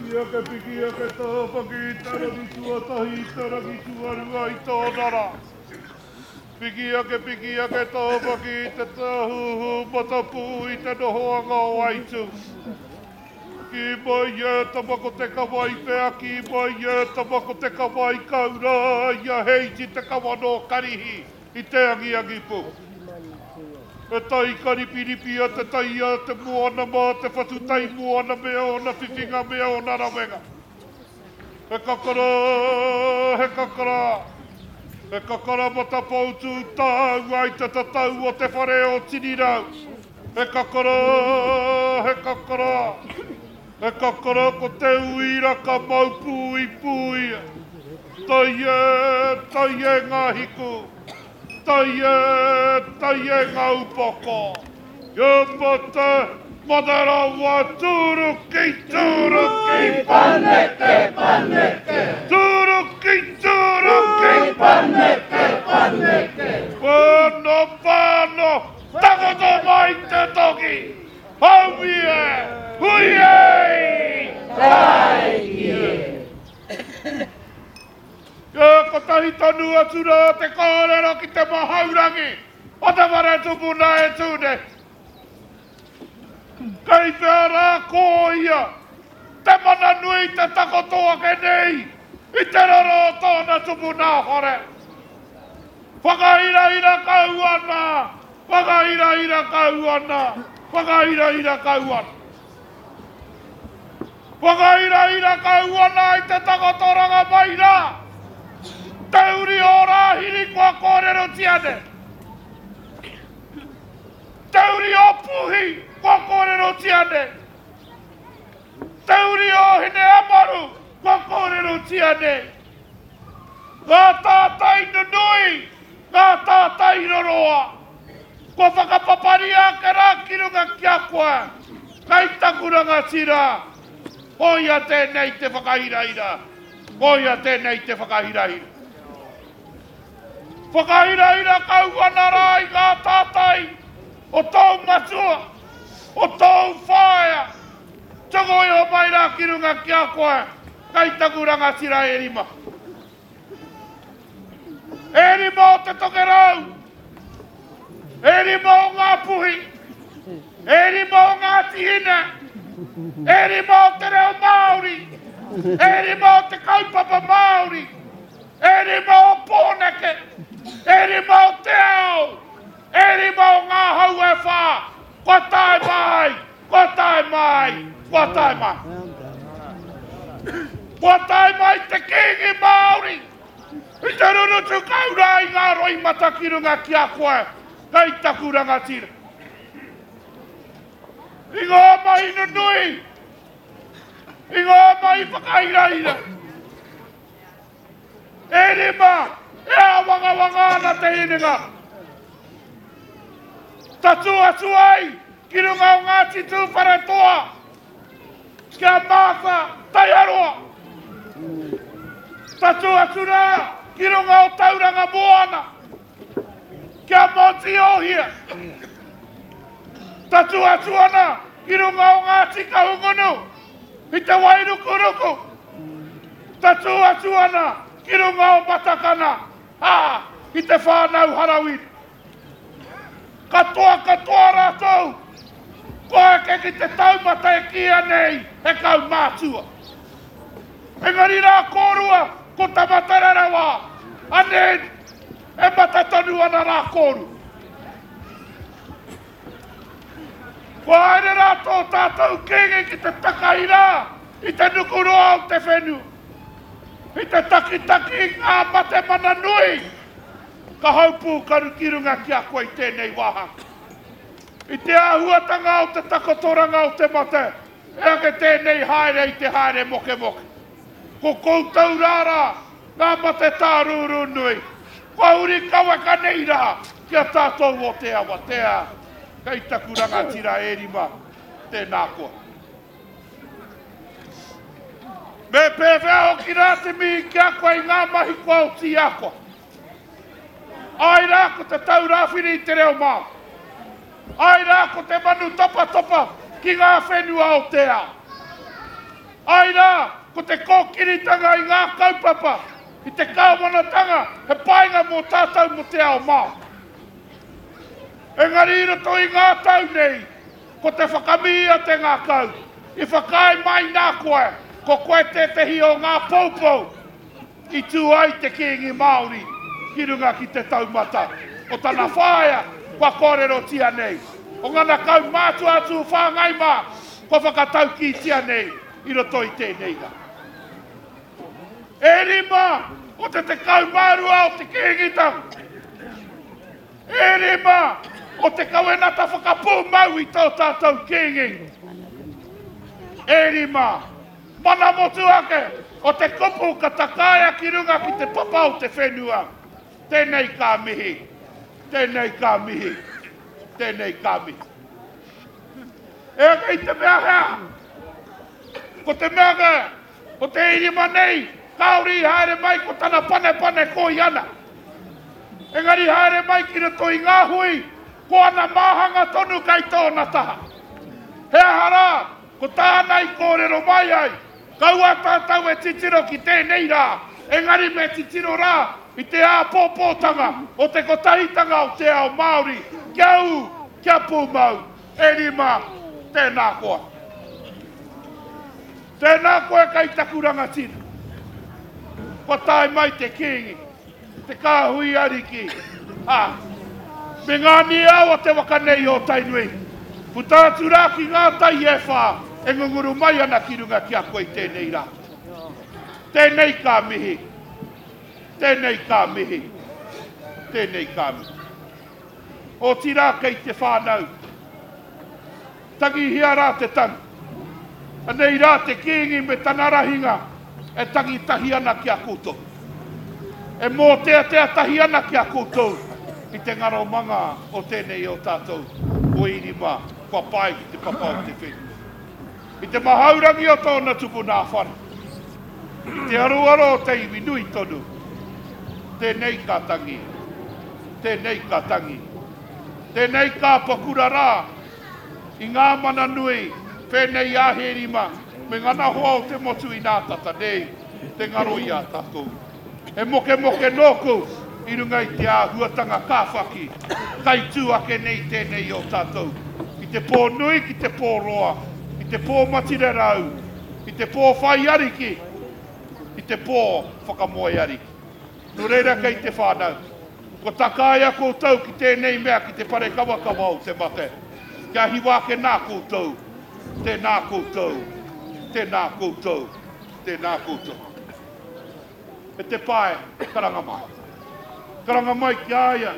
Piki ake, piki ake tāwhaki i te rangi tuatahi, i te rangi tuarua i tōna rā. Piki ake, piki ake tāwhaki i te tāhuhu matapū i te nohoanga o Aitū. Kī mai e tama ko te kawa i whea, kī mai e tama ko te kawa i kau rā i a Heiti te kawa nō Karihi i te angiangi pū. He tai ka ripiripia te tai a te moana mā te whatu tai moana me ōna whiwhinga me ōna rawenga. He kakara, he kakara, he kakara matapoutū tāua i te tatau o te whare o Tinirau. He kakara, he kakara, he kakara ko te uira ka mau pū i pūia. Tai e, tai e ngā hiku, tai e, tai e ngā upoko. Kia mate, mate rawa, tūruki, tūruki. Paneke, paneke. Tūruki, tūruki. Paneke, paneke. Pāno, pāno, takoto mai te toki. Haumi e, hui e! Tāiki e. Kia kotahi tonu atu rā te kōrero ki te mahaurangi o te whare tupuna e tū nei. Kei whea rā ko ia te mana nui te takoto ake nei i te roro o tōna tupuna whare. Whakahirahira kau ana, whakahirahira kau ana, whakahirahira kau ana. Whakahirahira kau ana i te takotoranga mai rā, te uri o Rāhiri kua kōrerotia nei, te uri o Puhi kua kōrerotia nei, te uri o Hineamaru kua kōrerotia nei, ngā tātai nunui, ngā tātai roroa. Kua whakapaparia ake rā ki runga ki a koe, kei taku rangatira, koia tēnei te whakahirahira, koia tēnei te whakahirahira. Whakahirahira kau ana rā i ngā tātai o tōu matua, o tōu whaea, tuku iho mai rā ki runga ki a koe, kei taku rangatira e rima. E rima o Te Tokerau, e rima o Ngāpuhi, e rima o Ngāti Hine, e rima o te reo Māori, e rima o te kaupapa Māori, e rima o Pōneke, e rima o te ao, e rima o ngā hau e whā, kua tae mai, kua tae mai, kua tae mai. Kua tae mai te Kīngi Māori i te rurutu kau rā i ngā roimata ki runga ki a koe, kei taku rangatira. I ngā mahi nunui, i ngā mahi whakahirahira, E rima, e āwangawanga ana te hinengaro. Tatū atu ai ki runga o Ngāti Tūwharetoa, ki a Martha Taiaroa. Tatū atu rā ki runga o Tauranga Moana, ki a Monty Ohia. Tatū atu ana ki runga o Ngāti Kahungunu, i te Wairukuruku. Tatū atu ana ki runga o Matakana, ā, ki te whānau Harawiri. Katoa katoa rātou, kua eke ki te taumata e kīia nei he kaumātua. Engari rā kōrua ko Tamaterarawa, anei, e mata tonu ana rā kōrua. Kua haere rā tō tātou Kīngi ki te takahi rā i te nukuroa o te whenua, i te takitaki i ngā mate mana nui ka haupū karu ki runga ki a koe i tēnei wāhanga. I te āhuatanga o te takotoranga o te mate, e ake tēnei haere i te haere mokemoke. Ko koutou rā rā ngā mate tārūrū nui, kua huri kaweka nei rā ki a tātou o te awatea, kei taku rangatira e rima, tēnā koa. Me pēwhea hoki rā te mihi ki a koe i ngā mahi kua oti i a koe? Āe rā ko te taurawhiri i te reo Māori. Āe rā ko te manu topatopa ki ngā whenua o te ao. Āe rā, ko te kōkiritanga i ngā kaupapa, i te kāwanatanga, he painga mō tātou mō te ao Māori. Engari i roto i ngā tau nei, ko te whakamihi a te ngākau, i whakaae mai nā koe, ko koe tētehi o ngā poupou i tū ai te Kīngi Māori ki runga ki te taumata o tana whaea kua kōrerotia nei, o ngana kaumātua atu whāngai mā kua whakataukītia nei i roto i tēnei rā. E rima o te 12 o te Kīngitanga. E rima o te kawenata whakapūmau i tō tātou Kīngi. E rima Mana motuhake o te kupu ka takaia ki runga ki te papa o te whenua. Tēnei ka mihi, tēnei ka mihi, tēnei ka mihi. E ake i te mea hea, ko te mea ka, ko te irima nei, kāore i haere mai ko tana panepane koi ana. Engari haere mai ki roto i ngā hui, ko ana māhanga tonu kei tōna taha. He aha rā, Ko tāna i kōrero mai ai, kaua tātou e titiro ki tēnei rā, engari me titiro rā i te āpōpōtanga o te kotahitanga o te ao Māori, kia ū, kia pūmau, e rima, tēnā koa. Tēnā koe kei taku rangatira. Kua tae mai te Kīngi, te kāhui ariki, ā, me ngā niao o te waka nei o Tainui. Puta atu rā ki ngā tai e whā e ngunguru mai ana ki runga ki a koe i tēnei rā. Tēnei ka mihi, tēnei ka mihi, tēnei ka mihi. Otirā kei te whānau, Tangihia rā te tangi. Anei rā te Kīngi me tana rahinga e tangi tahi ana ki a koutou. E mōteatea tahi ana ki a koutou i te ngaromanga o tēnei o tātou o Irima kua pae ki te papa o te whenua. I te mahaurangi o tōna tupuna whare, i te aroaro o te iwi nui tonu, tēnei ka tangi, tēnei ka tangi, tēnei ka pakura rā i ngā mana nui pēnei i a Hērima me ngana hoa o te motu inā tata nei te ngaro i a tātou. He mokemoke nōku i runga i te āhuatanga kāwhaki kai tū ake nei tēnei o tātou i te pō nui ki te pō roa, i te pō matirerau, i te pō whai ariki, i te pō whakamoe ariki. Nō reira kei te whānau, Kua takaia koutou ki tēnei mea ki te parekawakawa o te mate, kia hiwa ake nā koutou, tēnā koutou, tēnā koutou, tēnā koutou. E te pae, karanga mai. Karanga mai ki a ia,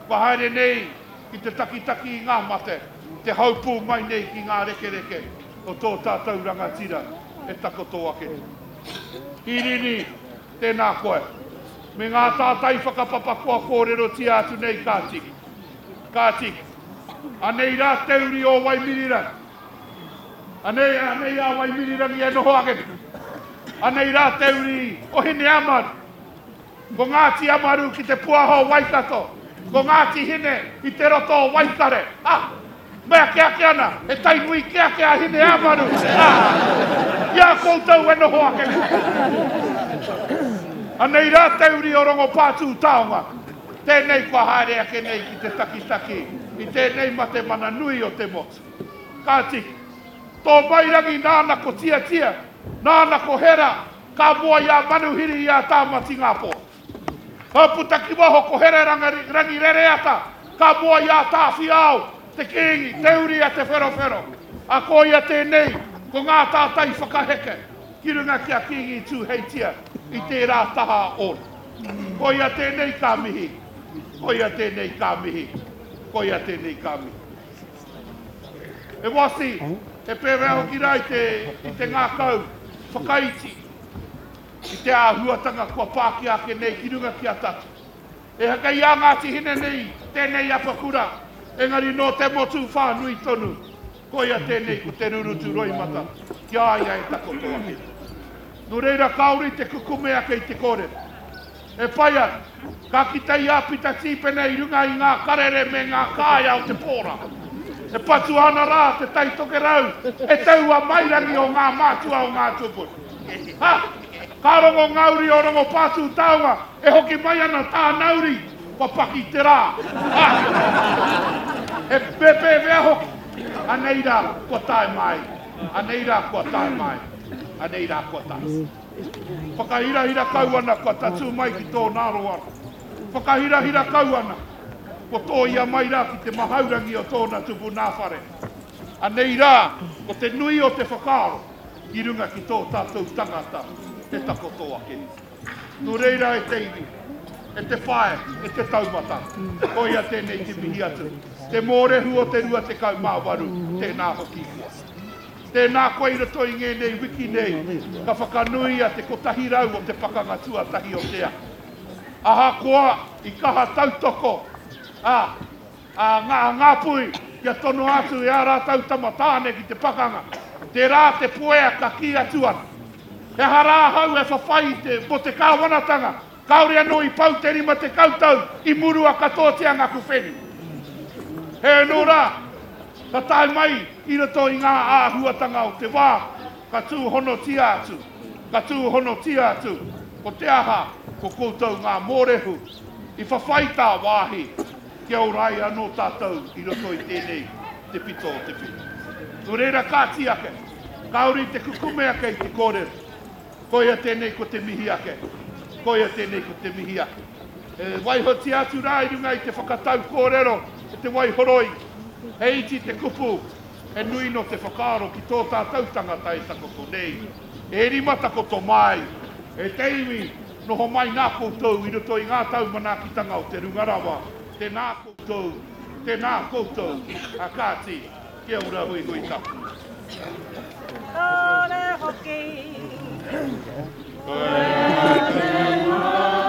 kua haere nei ki te takitaki i ngā mate, te haupū mai nei ki ngā rekereke o tō tātou rangatira e takoto ake nei. Hirini, Tēnā koe. Me ngā tātai whakapapa kua kōrerotia atu nei ka tiki. Ka tiki. Anei rā te uri o Waimirirangi. Anei, anei a Waimirirangi e noho ake nei. Anei rā te uri o Hineamaru. Ko Ngāti Amaru ki te puaho o Waikato. Ko Ngāti Hine i te roto o Waikare. Ah! Mea kē ake ana, he tai nui kē ake a Hineāmaru, ā, i a koutou e noho ake nei. Anei rā te uri o Rongopātūtaonga, tēnei kua haere ake nei ki te takitaki i tēnei mate mana nui o te motu. Kāti, tō mai rangi nāna ko Tiatia, nāna ko Hera, ka moa i a Manuhiri i a Tāmati Ngāpō. Ka puta ki waho ko Hererangi Rereata, ka moa i a Tāwhiao, te Kīngi, te uri a Te Wherowhero. A ko ia tēnei, ko ngā tātai whakaheke ki runga ki a Kīngi Tūheitia i tērā taha ōna. Ko ia tēnei ka mihi, ko ia tēnei ka mihi, ko ia tēnei ka mihi. He wasi, he pēwhea hoki rā i te, i te ngākau whakaiti. I te āhuatanga kua pākia ake nei ki runga ki a tātou. Ehake i a Ngāti Hine nei tēnei apakura, engari nō te motu whānui tonu, koia tēnei ko te rurutu roimata ki a ia e takoto ake nei. Nō reira kāore i te kukume ake i te kōrero. E pai ana, ka kite i a Pita Tīpene i runga i ngā karere me ngā kāea o te pō rā. E patua ana rā te Tai Tokerau e taua mairangi o ngā mātua o ngā tūpuna. Ha! Ka rongo ngā uri o Rongopātūtaonga e hoki mai ana tāna uri, kua paki te rā. Ha! He pēpēwhea hoki. Anei rā, kua tae mai. Anei rā, kua tae mai. Anei rā, kua tae. Whakahirahira kau ana kua tatū mai ki tōna aroaro. Whakahirahira kau ana, kua tōia mai rā ki te mahaurangi o tōna tupuna whare. Anei rā, ko te nui o te whakaaro ki runga ki tō tātou tangata e takoto ake nei. Nō reira e te iwi, e te whae, e te taumata, koia tēnei te mihi atu, te mōrehu o te 28, tēnā hoki koa. Tēnā koe i roto i ngēnei wiki nei, ka whakanuia te 100 o te pakanga tuatahi o te ao. Ahakoa i kaha tautoko a a ngā Ngāpuhi kia tonoa atu e ā rātou tama tāne ki te pakanga, tērā te puea ka kī atu ana, He aha rā ahau e whawhai i te, mō te kāwanatanga, kāore anō i pau te 50 tau i murua katoatia ngaku whenua. He anō rā, ka tae mai i roto i ngā āhuatanga o te wā, ka tūhonotia atu, ka tūhonotia atu, ko te aha, ko koutou ngā mōrehu i whawhai tāwāhi kia ora ai anō tātou i roto i tēnei te pito o te whenua. Nō reira kāti ake, kāore i te kukume ake i te kōrero, koia tēnei ko te mihi ake, koia tēnei ko te mihi ake. E waihotia atu rā i runga i te whakatau kōrero e te waihoroi, he iti te kupu, He nui nō te whakaaro ki tō tātou tangata e takoto nei, e rima takoto mai, e te iwi, noho mai nā koutou i roto i ngā tau manaakitanga o te runga rawa, tēnā koutou, tēnā koutou, a kāti, kia ora huihui tapu. Kore hoki. Koe te mana.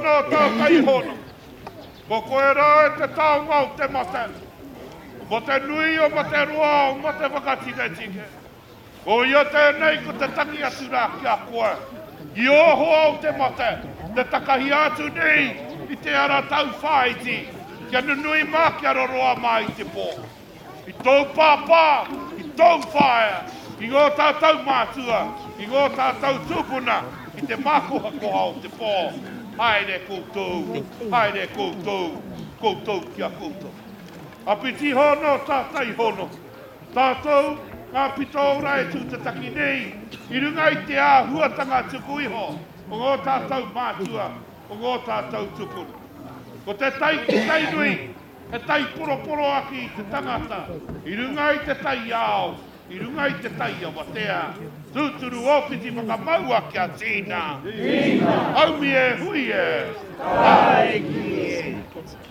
hono, tātai hono. Ko koe rā e te taonga o te mate. Mo te nui o mate roa o mate whakatiketike. Ko ia tēnei ko te tangi atu rā ki a koe. I ō hoa o te mate, te takahia atu nei i te ara tauwhāiti, kia nunui mā, kia roroa mā i te pō. I tōu pāpā, i tōu whaea, i ngō tātou mātua, i ngō tātou tūpuna, i te mākohakoha o te pō, haere koutou, haere koutou, koutou ki a koutou. Apiti hono, tātai hono, tātou ngā pito ora e tū te taki nei, i runga i te āhuatanga tuku iho o ngō tātou mātua, o ngō tātou tūpuna. Ko te tai ki Tainui, He tai poroporoaki i te tangata, i runga i te tai ao, i runga i te tai awatea. Tūturu ōwhiti whakamaua kia tīna. Tīna. Haumi e, hui e. Tāiki e.